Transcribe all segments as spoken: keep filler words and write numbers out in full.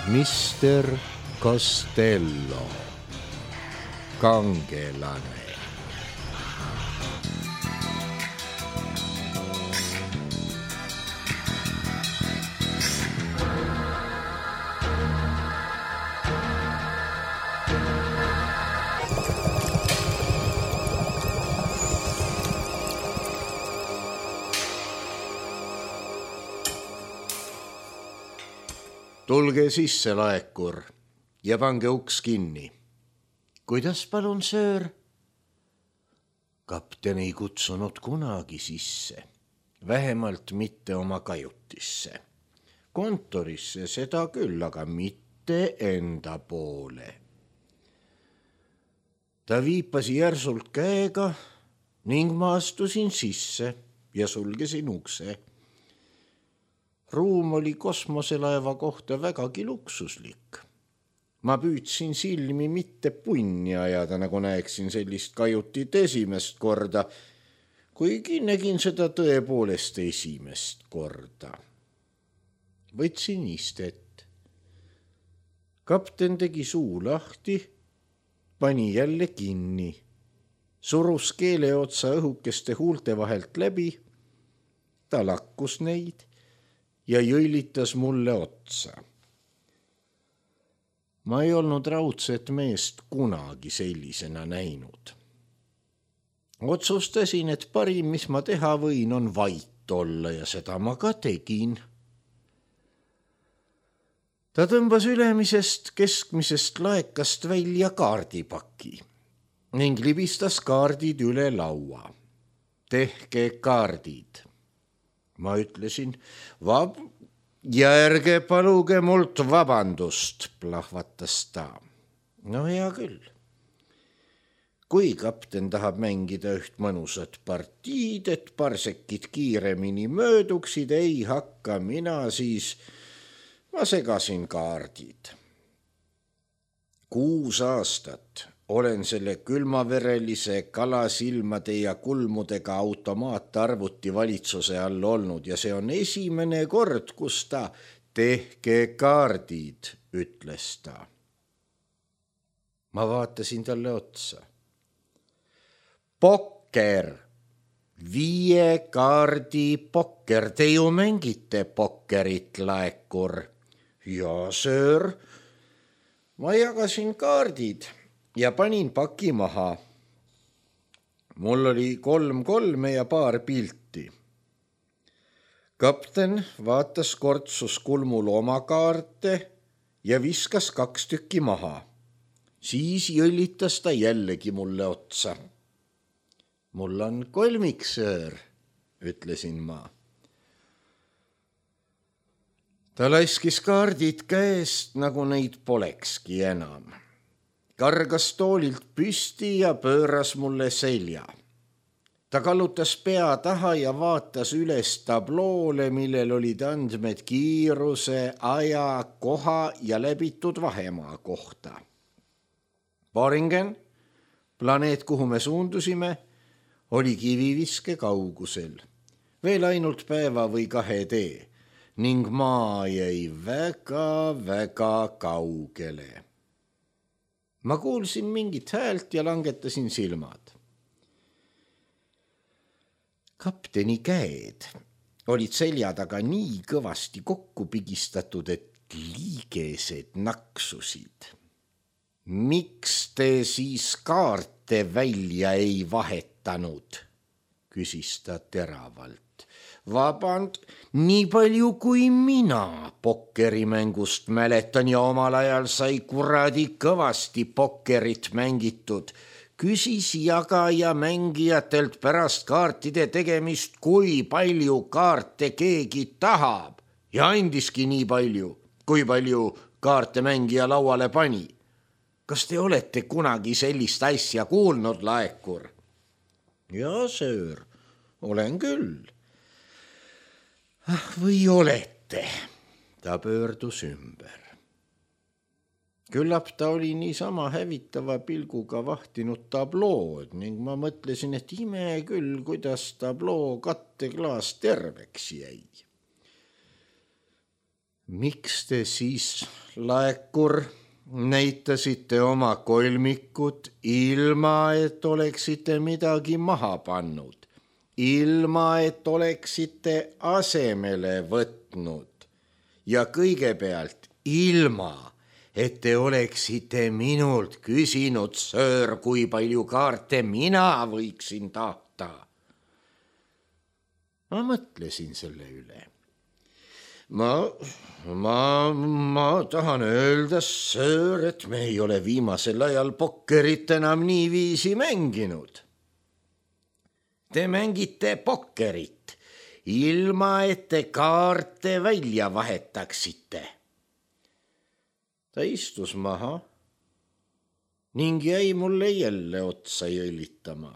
mister Costello, kangelane. Tulge sisse, laekur, ja pange uks kinni. Kuidas palun, söör? Kapten ei kutsunud kunagi sisse, vähemalt mitte oma kajutisse. Kontorisse seda küll, aga mitte enda poole. Ta viipas järsult käega ning ma astusin sisse ja sulgesin ukse. Ruum oli kosmoselaeva kohta vägagi luksuslik. Ma püüdsin silmi mitte punni ajada, nagu näeksin sellist kajutit esimest korda, kuigi nägin seda tõepoolest esimest korda. Võtsin istet. Kapten tegi suu lahti, pani jälle kinni, surus keele otsa õhukeste huulte vahelt läbi, ta lakkus neid ja jõilitas mulle otsa. Ma ei olnud raudset meest kunagi sellisena näinud. Otsustasin, et parim, mis ma teha võin, on vait olla ja seda ma ka tegin. Ta tõmbas ülemisest keskmisest laekast välja kaardipaki ning libistas kaardid üle laua. Tehke kaardid. Ma ütlesin, vab... ja ärge paluge mult vabandust, plahvatas ta. No hea küll. Kui kapten tahab mängida üht mõnusat partiid, et parsekid kiiremini mööduksid, ei hakka mina, siis ma segasin kaardid. Kuus aastat olen selle külmaverelise kalasilmade ja kulmudega automaattarvuti valitsuse all olnud ja see on esimene kord, kus ta tehke kaardid, ütles ta. Ma vaatasin talle otsa. Pokker, viie kaardi pokker, te ju mängite pokkerit, laekur. Ja, söör, ma jagasin kaardid ja panin paki maha. Mul oli kolm kolme ja paar pilti. Kapten vaatas kortsus kulmul oma kaarte ja viskas kaks tükki maha. Siis jõllitas ta jällegi mulle otsa. Mul on kolmik, söör, ütlesin ma. Ta laiskis kaardid käest, nagu neid polekski enam. Kargas toolilt püsti ja pööras mulle selja. Ta kallutas pea taha ja vaatas üles tabloole, millel olid andmed kiiruse, aja, koha ja läbitud vahemaa kohta. Boringen, planeet, kuhu me suundusime, oli kiviviske kaugusel. Veel ainult päeva või kahe tee ning maa jäi väga-väga kaugele. Ma kuulsin mingit häält ja langetasin silmad. Kapteni käed olid selja taga nii kõvasti kokku pigistatud, et liigesed naksusid. Miks te siis kaarte välja ei vahetanud, küsis ta teravalt. Vaband, nii palju kui mina pokkerimängust mäletan ja omal ajal sai kuradi kõvasti pokkerit mängitud. Küsis jagaja mängijatelt pärast kaartide tegemist, kui palju kaarte keegi tahab ja andiski nii palju, kui palju kaarte mängija lauale pani. Kas te olete kunagi sellist asja kuulnud, laekur? Ja, söör, olen küll. Ah, või olete? Ta pöördus ümber. Küllap ta oli niisama hävitava pilguga vahtinud tablood ning ma mõtlesin, et ime küll, kuidas tabloo katteklaas terveks jäi. Miks te siis, laekur, näitasite oma kolmikut ilma, et oleksite midagi maha pannud, ilma, et oleksite asemele võtnud ja kõigepealt ilma, et te oleksite minult küsinud, söör, kui palju kaarte mina võiksin tahta. Ma mõtlesin selle üle. Ma, ma, ma tahan öelda, söör, et me ei ole viimasel ajal pokkerit enam niiviisi mänginud. Te mängite pokkerit, ilma et te kaarte välja vahetaksite. Ta istus maha ning jäi mulle jälle otsa jõllitama.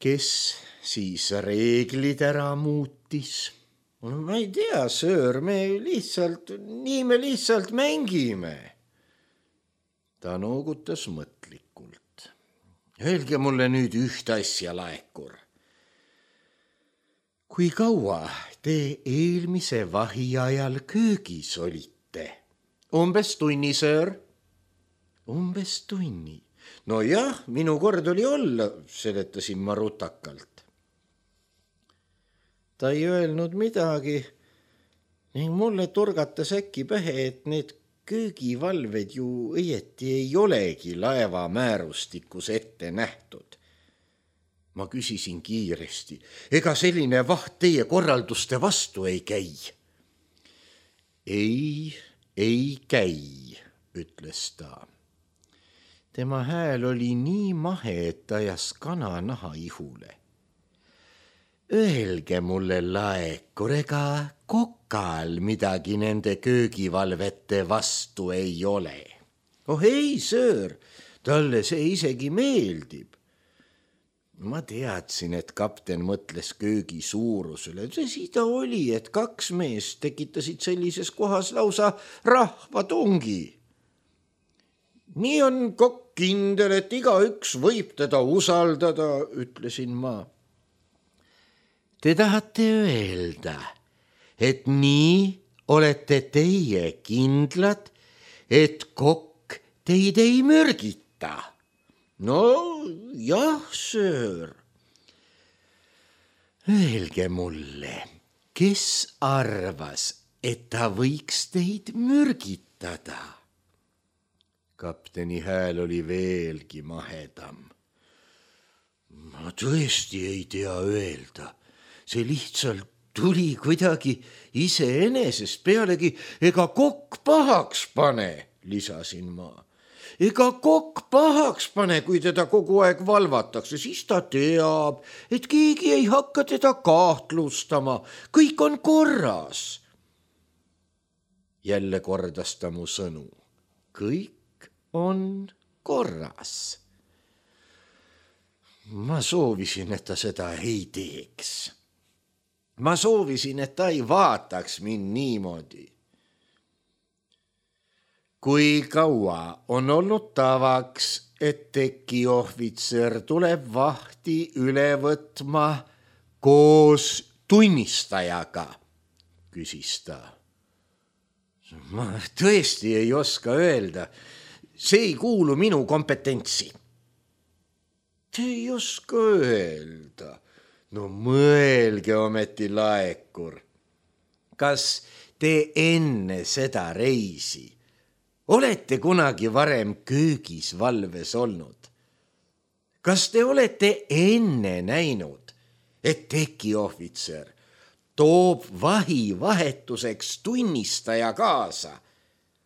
Kes siis reeglid ära muutis? Ma ei tea, söör, me lihtsalt, nii me lihtsalt mängime. Ta noogutas mõtlikult. Öelge mulle nüüd üht asja, laekur. Kui kaua te eelmise vahi ajal köögis olite? Umbes tunni, söör? Umbes tunni. No jah, minu kord oli olla, seletasin ma rutakalt. Ta ei öelnud midagi ning mulle turgatas äkki pähe, et need köögivalved ju õieti ei olegi laeva määrustikus ette nähtud. Ma küsisin kiiresti, ega selline vaht teie korralduste vastu ei käi? Ei, ei käi, ütles ta. Tema hääl oli nii mahe, et ajas kana naha ihule. Öelge mulle, laekur, ega kokal midagi nende köögivalvete vastu ei ole. Oh ei, söör, talle see isegi meeldib. Ma teadsin, et kapten mõtles köögi suurusele. See ta oli, et kaks meest tekitasid sellises kohas lausa rahvatungi. Nii on kokk kindel, et igaüks võib teda usaldada, ütlesin ma. Te tahate öelda, et nii olete teie kindlad, et kokk teid ei mürgita? No jah, söör. Öelge mulle, kes arvas, et ta võiks teid mürgitada? Kapteni hääl oli veelgi mahedam. Ma tõesti ei tea öelda. See lihtsalt tuli kuidagi iseenesest, pealegi ega kokk pahaks pane, lisasin ma. Ega kokk pahaks pane, kui teda kogu aeg valvatakse, siis ta teab, et keegi ei hakka teda kahtlustama, kõik on korras. Jälle kordas ta mu sõnu. Kõik on korras. Ma soovisin, et ta seda ei teeks. Ma soovisin, et ta ei vaataks mind niimoodi. Kui kaua on olnud tavaks, et tekiohvitser tuleb vahti üle võtma koos tunnistajaga, küsis ta. Ma tõesti ei oska öelda. See ei kuulu minu kompetentsi. Te ei oska öelda. No mõelge ometi, laekur. Kas te enne seda reisi olete kunagi varem köögis valves olnud? Kas te olete enne näinud, et tekiohvitser toob vahi vahetuseks tunnistaja kaasa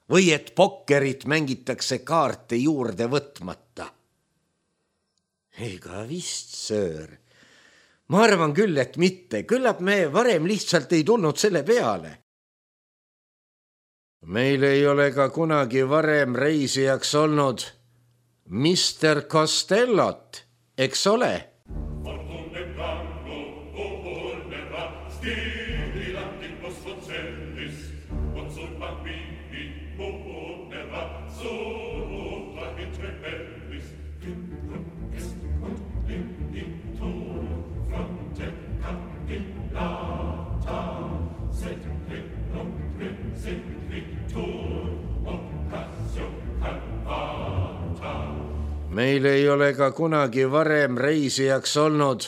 või et pokkerit mängitakse kaarte juurde võtmata? Ega vist, söör. Ma arvan küll, et mitte. Küllap me varem lihtsalt ei tulnud selle peale. Meil ei ole ka kunagi varem reisijaks olnud mister Costellot, eks ole? Sed meil ei ole ka kunagi varem reisijaks olnud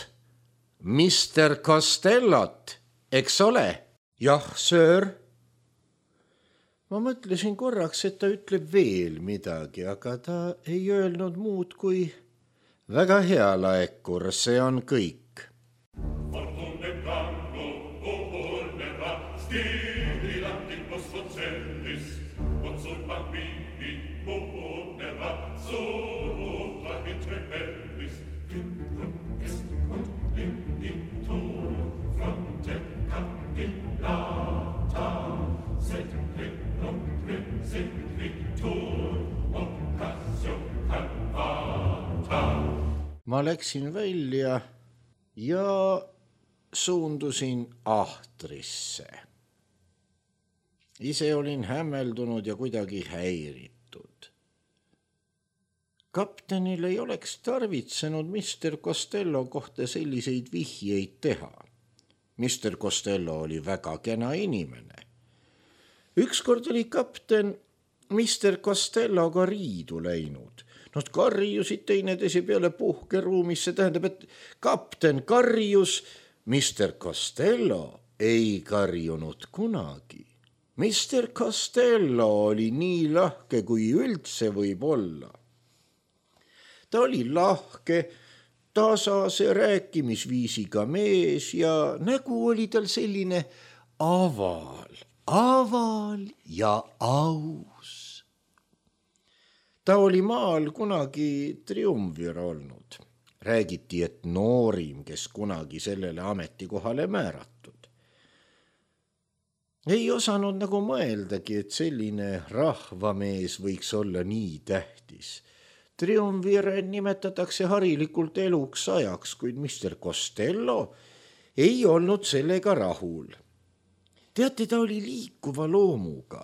mister Costellot, eks ole? Jah, söör. Ma mõtlesin korraks, et ta ütleb veel midagi, aga ta ei öelnud muud kui väga hea, Laekur, see on kõik. Ma läksin välja ja suundusin ahtrisse. Ise olin hämmeldunud ja kuidagi häiritud. Kaptenil ei oleks tarvitsenud mister Costello kohta selliseid vihjeid teha. mister Costello oli väga kena inimene. Ükskord oli kapten mister Costelloga riidu läinud. Nad karjusid teineteise peale puhkeruumis, see tähendab, et kapten karjus, mister Costello ei karjunud kunagi. mister Costello oli nii lahke, kui üldse võib olla. Ta oli lahke, tasase rääkimisviisiga mees ja nägu oli tal selline aval, aval ja aus. Ta oli maal kunagi triumvir olnud. Räägiti, et noorim, kes kunagi sellele ametikohale määratud. Ei osanud nagu mõeldagi, et selline rahvamees võiks olla nii tähtis. Triumvire nimetatakse harilikult eluks ajaks, kuid mister Costello ei olnud sellega rahul. Teate, ta oli liikuva loomuga.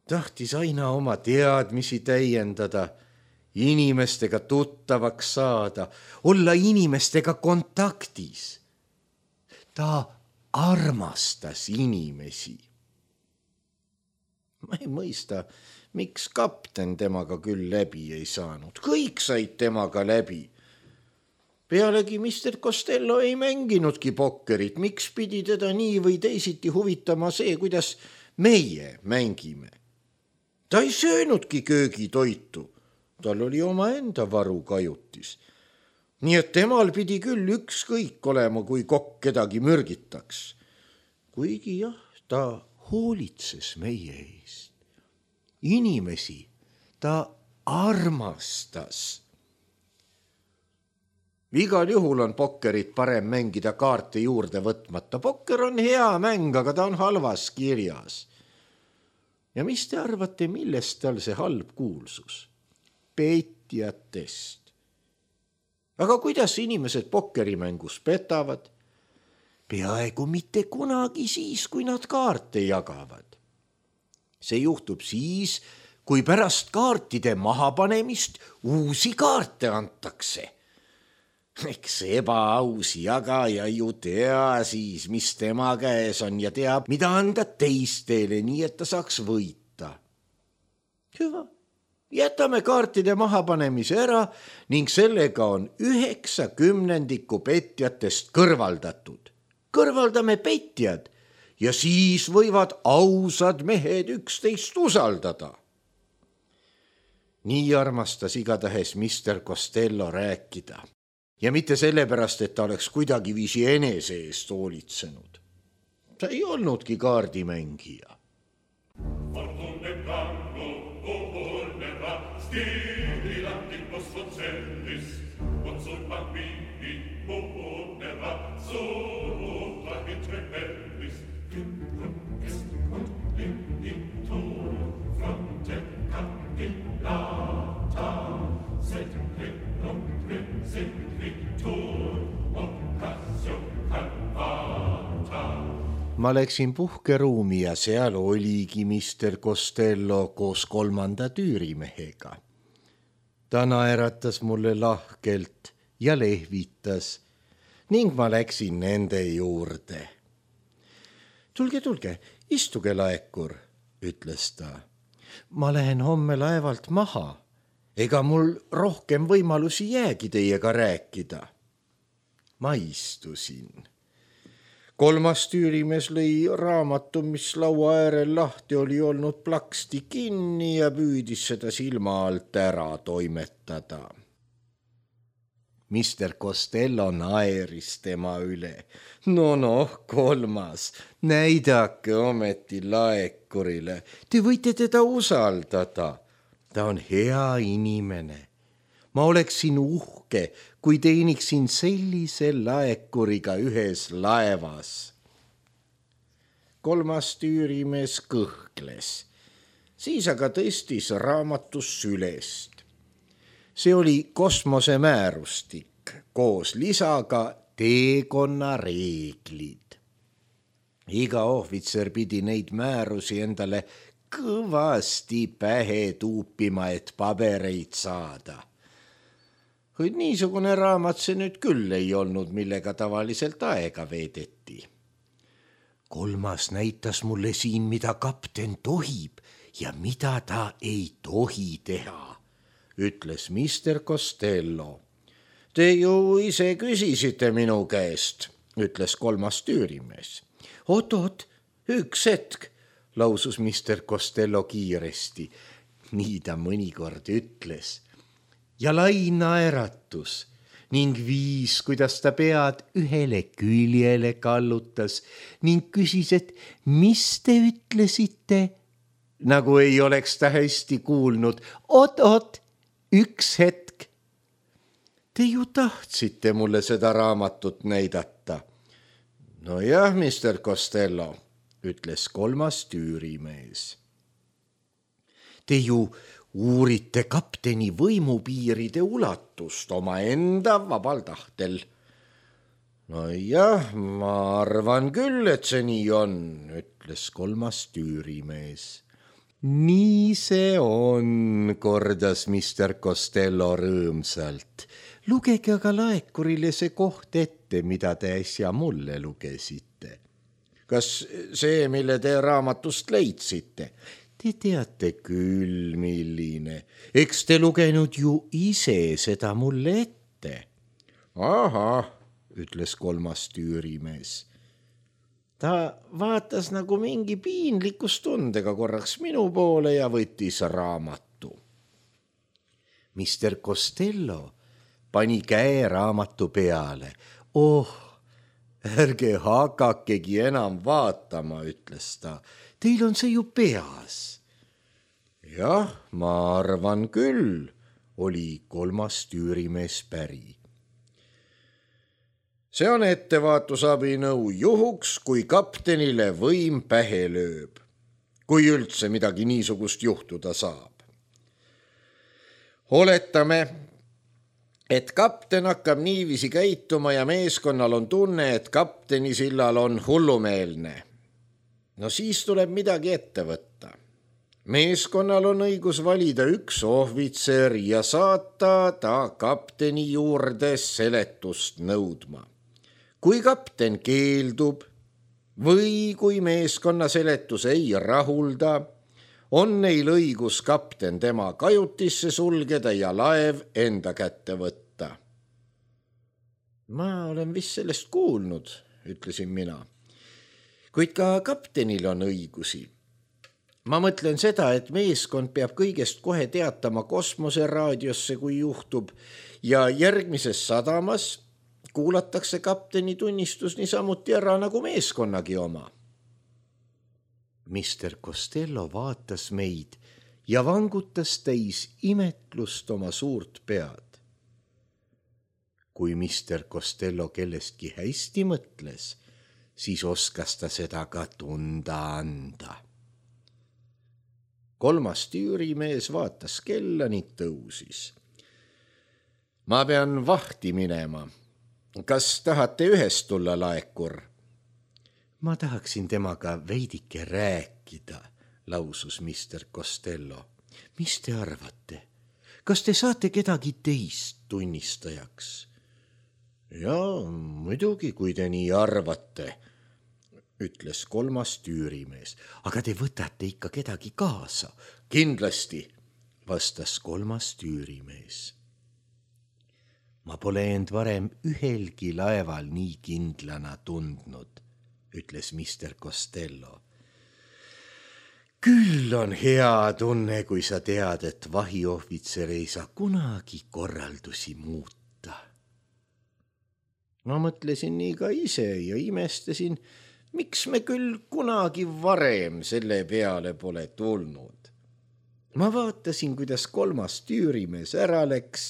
Tahtis aina oma teadmisi täiendada, inimestega tuttavaks saada, olla inimestega kontaktis. Ta armastas inimesi. Ma ei mõista, miks kapten temaga küll läbi ei saanud. Kõik said temaga läbi. Pealegi mister Costello ei mänginudki pokkerit. Miks pidi teda nii või teisiti huvitama see, kuidas meie mängime? Ta ei söönudki köögitoitu. Tal oli oma enda varu kajutis. Nii et temal pidi küll ükskõik olema, kui kokk kedagi mürgitaks. Kuigi jah, ta hoolitses meie eest. Inimesi ta armastas. Igal juhul on pokkerit parem mängida kaarte juurde võtmata. Pokker on hea mäng, aga ta on halvas kirjas. Ja mis te arvate, millest tal see halb kuulsus? Petjatest. Aga kuidas inimesed pokkerimängus petavad? Peaaegu mitte kunagi siis, kui nad kaarte jagavad. See juhtub siis, kui pärast kaartide mahapanemist uusi kaarte antakse. Eks ebaaus jagaja ju tea siis, mis tema käes on ja teab, mida anda teistele, nii et ta saaks võita. Hüva, jätame kaartide mahapanemise ära ning sellega on üheksa kümnendikku petjatest kõrvaldatud. Kõrvaldame petjad ja siis võivad ausad mehed üksteist usaldada. Nii armastas igatahes mister Costello rääkida. Ja mitte sellepärast, et ta oleks kuidagi viisi enese eest hoolitsenud. Ta ei olnudki kaardimängija. Ma läksin puhkeruumi ja seal oligi mister Costello koos kolmanda tüürimehega. Ta naeratas mulle lahkelt ja lehvitas ning ma läksin nende juurde. Tulge, tulge, istuge, Laekur, ütles ta. Ma lähen homme laevalt maha. ega mul rohkem võimalusi jäägi teiega rääkida. Ma istusin. Kolmas tüürimees lõi raamatu, mis laua äärel lahti oli olnud, plaksti kinni ja püüdis seda silma alt ära toimetada. Mister Costello naeris tema üle. No noh, kolmas, näidake ometi laekurile. Te võite teda usaldada. Ta on hea inimene. Ma oleksin uhke, kui teeniksin sellise laekuriga ühes laevas. Kolmas tüürimees kõhkles. Siis aga tõstis raamatus sülest. See oli kosmosemäärustik koos lisaga teekonna reeglid. Iga ohvitser pidi neid määrusi endale kõvasti pähe tuupima, et pabereid saada. Kuid niisugune raamat see nüüd küll ei olnud, millega tavaliselt aega veedeti. Kolmas näitas mulle siin, mida kapten tohib ja mida ta ei tohi teha, ütles mister Costello. Te ju ise küsisite minu käest, ütles kolmas tüürimees. Oot-oot, üks hetk, lausus mister Costello kiiresti. Nii ta mõnikord ütles. Ja lai naeratus ning viis, kuidas ta pead ühele küljele kallutas ning küsis, et mis te ütlesite, nagu ei oleks ta hästi kuulnud. Oot-oot, üks hetk. Te ju tahtsite mulle seda raamatut näidata. No jah, mister Costello, ütles kolmas tüürimees. Te ju uurite kapteni võimupiiride ulatust oma enda vabal tahtel. No jah, ma arvan küll, et see nii on, ütles kolmas tüürimees. Nii see on, kordas mister Costello rõõmsalt. Lugege aga laekurile see koht ette, mida te äsja mulle lugesite. Kas see, mille te raamatust leidsite? Te teate küll, milline. Eks te lugenud ju ise seda mulle ette. Aha, ütles kolmas tüürimees. Ta vaatas nagu mingi piinlikustundega korraks minu poole ja võttis raamatu. mister Costello pani käe raamatu peale. Oh, ärge hakakegi enam vaatama, ütles ta. Teil on see ju peas. Jah, ma arvan küll, oli kolmas tüürimees päri. See on ettevaatusabinõu juhuks, kui kaptenile võim pähe lööb, kui üldse midagi niisugust juhtuda saab. Oletame, et kapten hakkab niiviisi käituma ja meeskonnal on tunne, et kapteni sillal on hullumeelne. No siis tuleb midagi ette võtta. Meeskonnal on õigus valida üks ohvitser ja saata ta kapteni juurde seletust nõudma. Kui kapten keeldub või kui meeskonna seletus ei rahulda, on neil õigus kapten tema kajutisse sulgeda ja laev enda kätte võtta. Ma olen vist sellest kuulnud, ütlesin mina. Kuid ka kaptenil on õigusi. Ma mõtlen seda, et meeskond peab kõigest kohe teatama kosmoseraadiosse, kui juhtub, ja järgmises sadamas kuulatakse kapteni tunnistus niisamuti ära nagu meeskonnagi oma. mister Costello vaatas meid ja vangutas täis imetlust oma suurt pead. Kui mister Costello kellestki hästi mõtles, siis oskas ta seda ka tunda anda. Kolmas tüürimees vaatas kella ning tõusis. Ma pean vahti minema. Kas tahate ühest tulla, laekur? Ma tahaksin temaga veidike rääkida, lausus mister Costello. Mis te arvate? Kas te saate kedagi teist tunnistajaks? Jaa, muidugi, kui te nii arvate, ütles kolmas tüürimees. Aga te võtate ikka kedagi kaasa. Kindlasti, vastas kolmas tüürimees. Ma pole end varem ühelgi laeval nii kindlana tundnud, ütles mister Costello. Küll on hea tunne, kui sa tead, et vahiohvitser ei saa kunagi korraldusi muuta. Ma mõtlesin nii ka ise ja imestasin, miks me küll kunagi varem selle peale pole tulnud. Ma vaatasin, kuidas kolmas tüürimees ära läks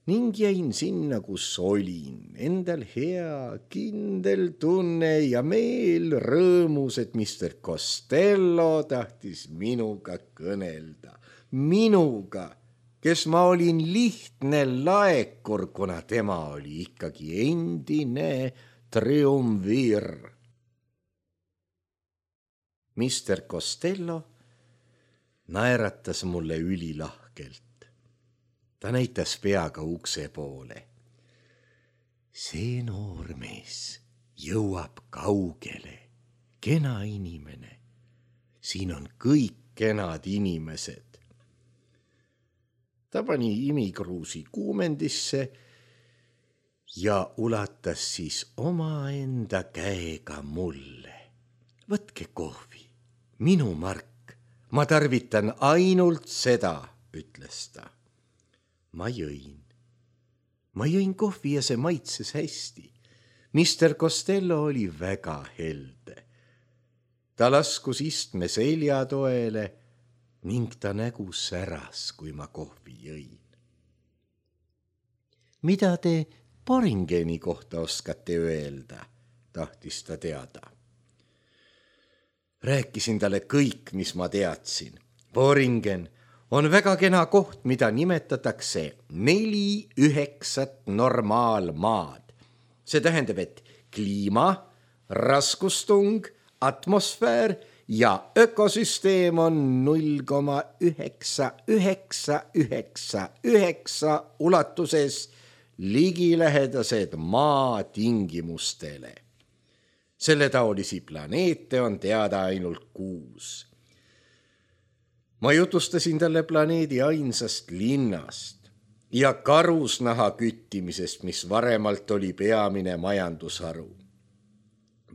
ning jäin sinna, kus olin. Endal hea, kindel tunne ja meel rõõmus, et mister Costello tahtis minuga kõnelda. Minuga, kes ma olin lihtne laekur, kuna tema oli ikkagi endine triumvir. mister Costello naeratas mulle ülilahkelt. Ta näitas peaga ukse poole. See noormees jõuab kaugele, kena inimene. Siin on kõik kenad inimesed. Ta pani imikruusi kuumendisse ja ulatas siis omaenda käega mulle. Võtke kohvi, minu mark, ma tarvitan ainult seda, ütles ta. Ma jõin. Ma jõin kohvi ja see maitses hästi. mister Costello oli väga helde. Ta laskus istme seljatoele ning ta nägu säras, kui ma kohvi jõin. Mida te Boringeni kohta oskate öelda, tahtis ta teada. Rääkisin talle kõik, mis ma teadsin. Boringen on väga kena koht, mida nimetatakse neli üheksat normaalmaad. See tähendab, et kliima, raskustung, atmosfäär ja ökosüsteem on null koma üheksa üheksa üheksa üheksa ulatuses ligilähedased maa tingimustele. Selle taolisi planeete on teada ainult kuus. Ma jutustasin talle planeedi ainsast linnast ja karusnaha küttimisest, mis varemalt oli peamine majandusharu.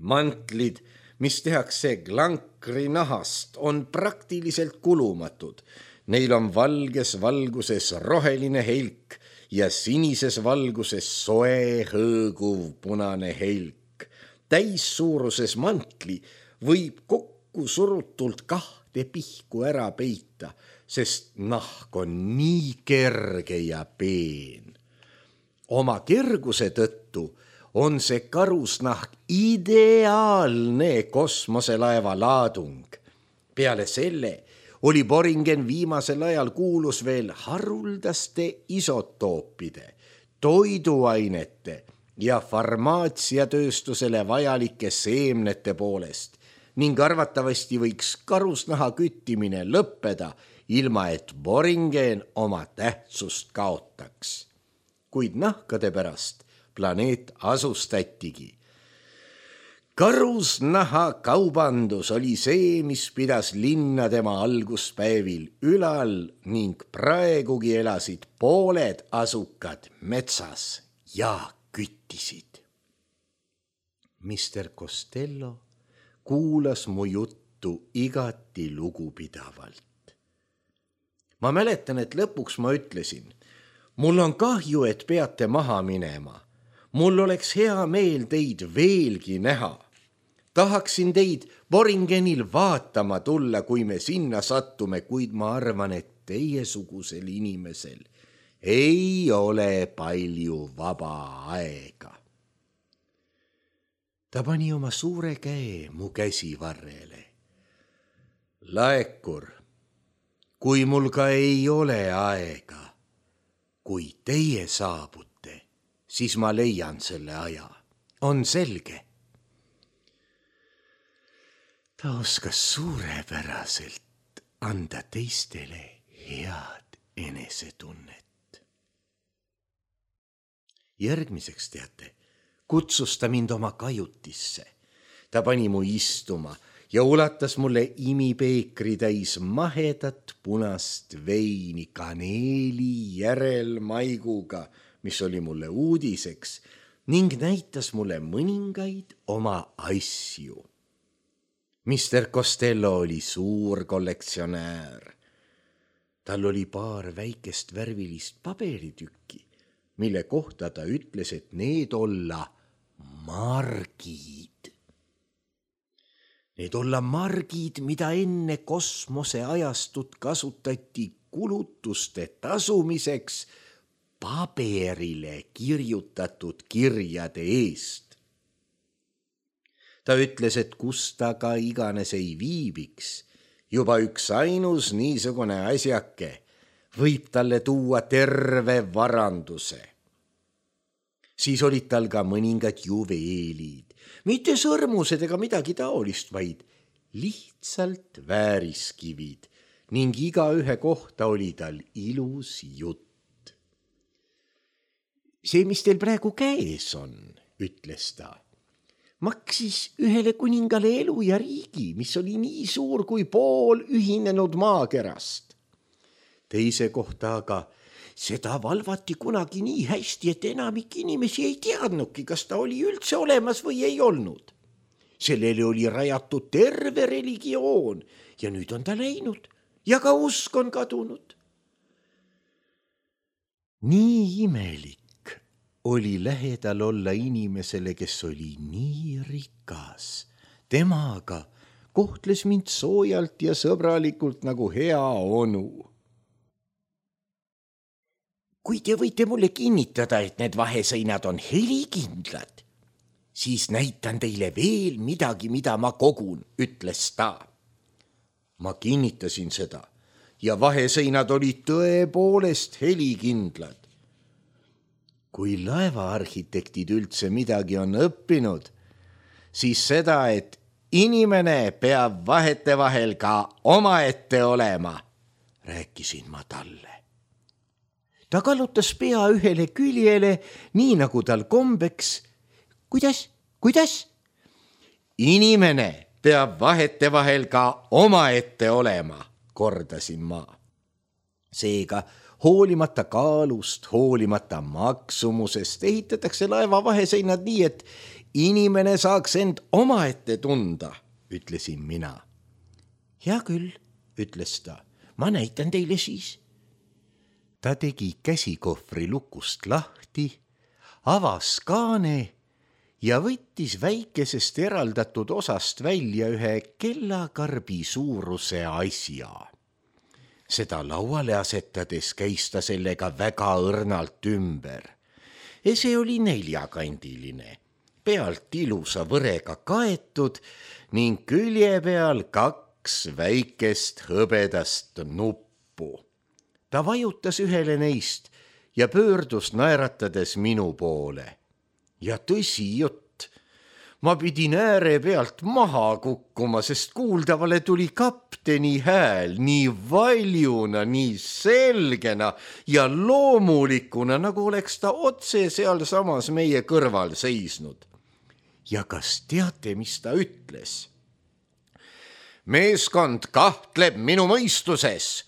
Mantlid, mis tehakse glankri nahast, on praktiliselt kulumatud. Neil on valges valguses roheline helk ja sinises valguses soe hõõguv punane helk. Täissuuruses mantli võib kokku surutult kahte pihku ära peita, sest nahk on nii kerge ja peen. Oma kerguse tõttu on see karusnahk ideaalne kosmoselaeva laadung. Peale selle oli Boringen viimasel ajal kuulus veel haruldaste isotoopide, toiduainete ja farmaatsiatööstusele vajalike seemnete poolest ning arvatavasti võiks karusnaha küttimine lõppeda, ilma et Boringen oma tähtsust kaotaks. Kuid nahkade pärast planeet asustatigi. Karusnaha kaubandus oli see, mis pidas linna tema alguspäevil ülal ning praegugi elasid pooled asukad metsas ja küttisid. mister Costello kuulas mu juttu igati lugupidavalt. Ma mäletan, et lõpuks ma ütlesin, mul on kahju, et peate maha minema. Mul oleks hea meel teid veelgi näha. Tahaksin teid Boringenil vaatama tulla, kui me sinna sattume, kuid ma arvan, et teiesugusel inimesel ei ole palju vaba aega. Ta pani oma suure käe mu käsivarrele. Laekur, kui mul ka ei ole aega, kui teie saabute, siis ma leian selle aja. On selge? Ta oskas suurepäraselt anda teistele head enesetunnet. Järgmiseks, teate, kutsus ta mind oma kajutisse. Ta pani mu istuma ja ulatas mulle imipeekri täis mahedat punast veini kaneeli järelmaiguga, mis oli mulle uudiseks, ning näitas mulle mõningaid oma asju. mister Costello oli suur kollektsionäär. Tal oli paar väikest värvilist paberitükki, mille kohta ta ütles, et need olla margid. Need olla margid, mida enne kosmoseajastut kasutati kulutuste tasumiseks paberile kirjutatud kirjade eest. Ta ütles, et kus ta ka iganes ei viibiks, juba üks ainus niisugune asjake võib talle tuua terve varanduse. Siis olid tal ka mõningad juveelid, mitte sõrmused ega midagi taolist, vaid lihtsalt vääriskivid ning igaühe kohta oli tal ilus jutt. See, mis teil praegu käes on, ütles ta, maksis ühele kuningale elu ja riigi, mis oli nii suur kui pool ühinenud maakerast. Teise kohta aga seda valvati kunagi nii hästi, et enamik inimesi ei teadnudki, kas ta oli üldse olemas või ei olnud. Sellele oli rajatud terve religioon ja nüüd on ta läinud ja ka usk on kadunud. Nii imelik oli lähedal olla inimesele, kes oli nii rikas. Temaga kohtles mind soojalt ja sõbralikult nagu hea onu. Kui te võite mulle kinnitada, et need vaheseinad on helikindlad, siis näitan teile veel midagi, mida ma kogun, ütles ta. Ma kinnitasin seda ja vaheseinad olid tõepoolest helikindlad. Kui laevaarhitektid üldse midagi on õppinud, siis seda, et inimene peab vahetevahel ka omaette olema, rääkisin ma talle. Ta kallutas pea ühele küljele, nii nagu tal kombeks. Kuidas? Kuidas? Inimene peab vahetevahel ka omaette olema, kordasin ma. Seega, hoolimata kaalust, hoolimata maksumusest ehitatakse laeva vaheseinad nii, et inimene saaks end omaette tunda, ütlesin mina. Hea küll, ütles ta, ma näitan teile siis. Ta tegi käsikohvri lukust lahti, avas kaane ja võttis väikesest eraldatud osast välja ühe kellakarbi suuruse asja. Seda lauale asetades käis ta sellega väga õrnalt ümber. See oli neljakandiline, pealt ilusa võrega kaetud ning külje peal kaks väikest hõbedast nuppu. Ta vajutas ühele neist ja pöördus naeratades minu poole. Ja tõsi jutt. Ma pidin ääre pealt maha kukkuma, sest kuuldavale tuli kapteni hääl nii valjuna, nii selgena ja loomulikuna, nagu oleks ta otse seal samas meie kõrval seisnud. Ja kas teate, mis ta ütles? Meeskond kahtleb minu mõistuses,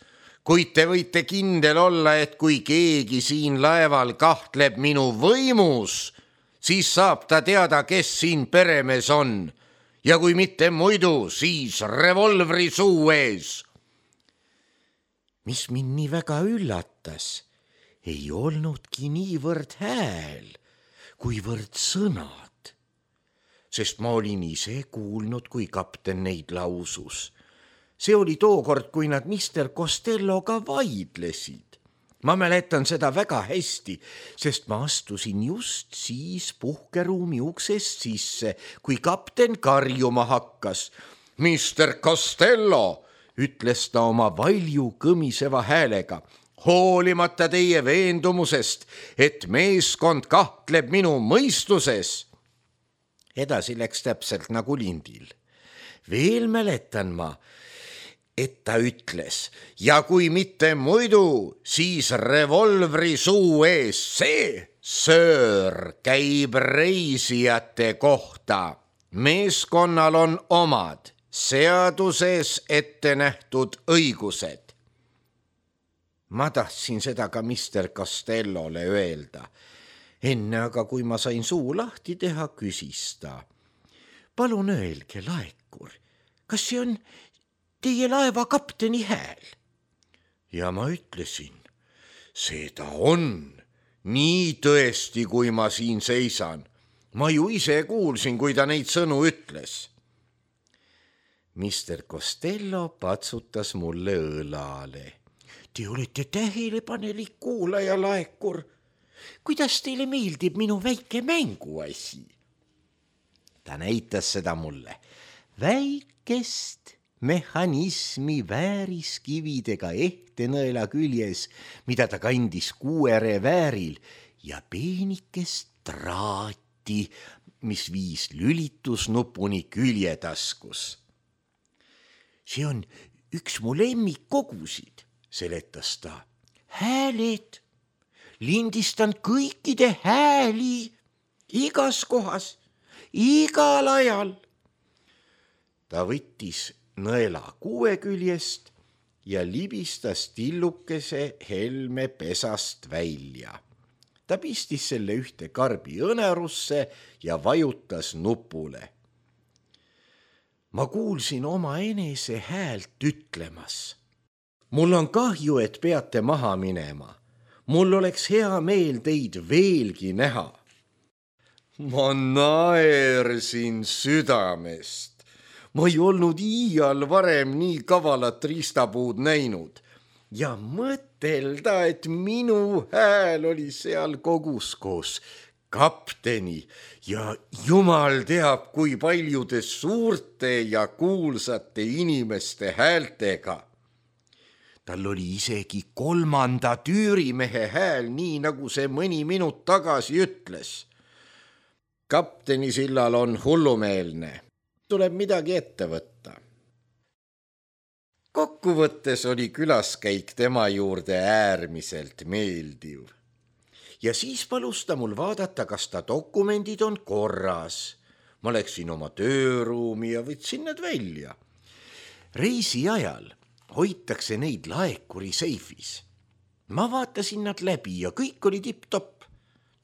kuid te võite kindel olla, et kui keegi siin laeval kahtleb minu võimus, siis saab ta teada, kes siin peremees on ja kui mitte muidu, siis revolvri suu ees. Mis mind nii väga üllatas, ei olnudki niivõrd hääl, kuivõrd sõnad, sest ma olin ise kuulnud, kui kapten neid lausus. See oli tookord, kui nad mister Costelloga vaidlesid. Ma mäletan seda väga hästi, sest ma astusin just siis puhkeruumi uksest sisse, kui kapten karjuma hakkas. mister Costello, ütles ta oma valju kõmiseva häälega, hoolimata teie veendumusest, et meeskond kahtleb minu mõistuses. Edasi läks täpselt nagu lindil. Veel mäletan ma, et ta ütles, ja kui mitte muidu, siis revolvri suu ees. See, söör, käib reisijate kohta. Meeskonnal on omad seaduses ette nähtud õigused. ma tahtsin seda ka mister Costellole öelda. enne aga, kui ma sain suu lahti teha, küsis ta. palun öelge, laekur, kas see on teie laeva kapteni hääl? ja ma ütlesin, seda on, nii tõesti, kui ma siin seisan. ma ju ise kuulsin, kui ta neid sõnu ütles. mister Costello patsutas mulle õlale. Te olete tähelepanelik kuulaja, laekur. kuidas teile meeldib minu väike mänguasi? ta näitas seda mulle. väikest mehhanismi vääriskividega ehtenõela küljes, mida ta kandis kuuere vääril, ja peenikest traati, mis viis lülitusnupuni küljetaskus. see on üks mu lemmikkogusid, seletas ta. hääled, lindistan kõikide hääli, igas kohas, igal ajal. ta võttis nõela kuue küljest ja libistas tillukese helme pesast välja. ta pistis selle ühte karbi õnerusse ja vajutas nupule. ma kuulsin oma enese häält ütlemas. mul on kahju, et peate maha minema. mul oleks hea meel teid veelgi näha. ma naersin südamest. ma ei olnud iial varem nii kavalat riistapuud näinud ja mõtelda, et minu hääl oli seal kogus koos kapteni ja jumal teab, kui paljude suurte ja kuulsate inimeste häältega. tal oli isegi kolmanda tüürimehe hääl, nii nagu see mõni minut tagasi ütles. kapteni sillal on hullumeelne. tuleb midagi ette võtta. kokkuvõttes oli külaskäik tema juurde äärmiselt meeldiv. ja siis palus ta mul vaadata, kas ta dokumendid on korras. ma läksin oma tööruumi ja võtsin need välja. reisi ajal hoitakse neid laekuri seifis. ma vaatasin nad läbi ja kõik oli tipp-topp.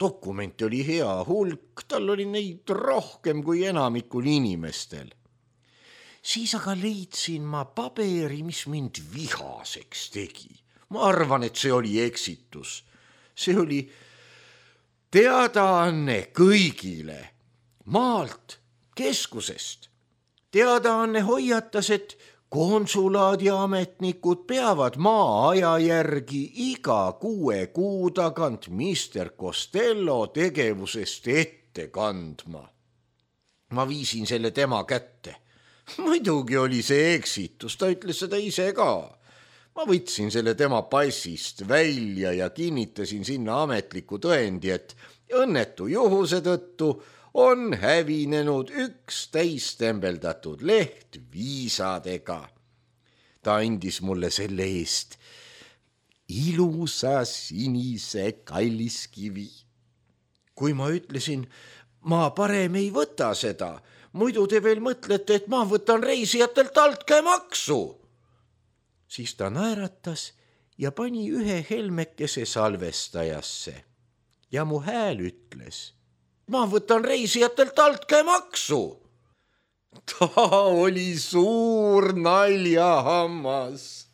dokumente oli hea hulk, tal oli neid rohkem kui enamikul inimestel. siis aga leidsin ma paberi, mis mind vihaseks tegi. ma arvan, et see oli eksitus. see oli teadaanne kõigile, maalt, keskusest. teadaanne hoiatas, et konsulaadiametnikud peavad maa-aja järgi iga kuue kuu tagant mister Costello tegevusest ette kandma. ma viisin selle tema kätte. muidugi oli see eksitus, ta ütles seda ise ka. ma võtsin selle tema passist välja ja kinnitasin sinna ametliku tõendi, et õnnetu juhuse tõttu on hävinenud üks täistembeldatud leht viisadega. ta andis mulle selle eest ilusa sinise kalliskivi. kui ma ütlesin, ma parem ei võta seda, muidu te veel mõtlete, et ma võtan reisijatelt altkäemaksu. siis ta naeratas ja pani ühe helmekese salvestajasse ja mu hääl ütles, ma võtan reisijatelt altkäemaksu. ta oli suur naljahammas.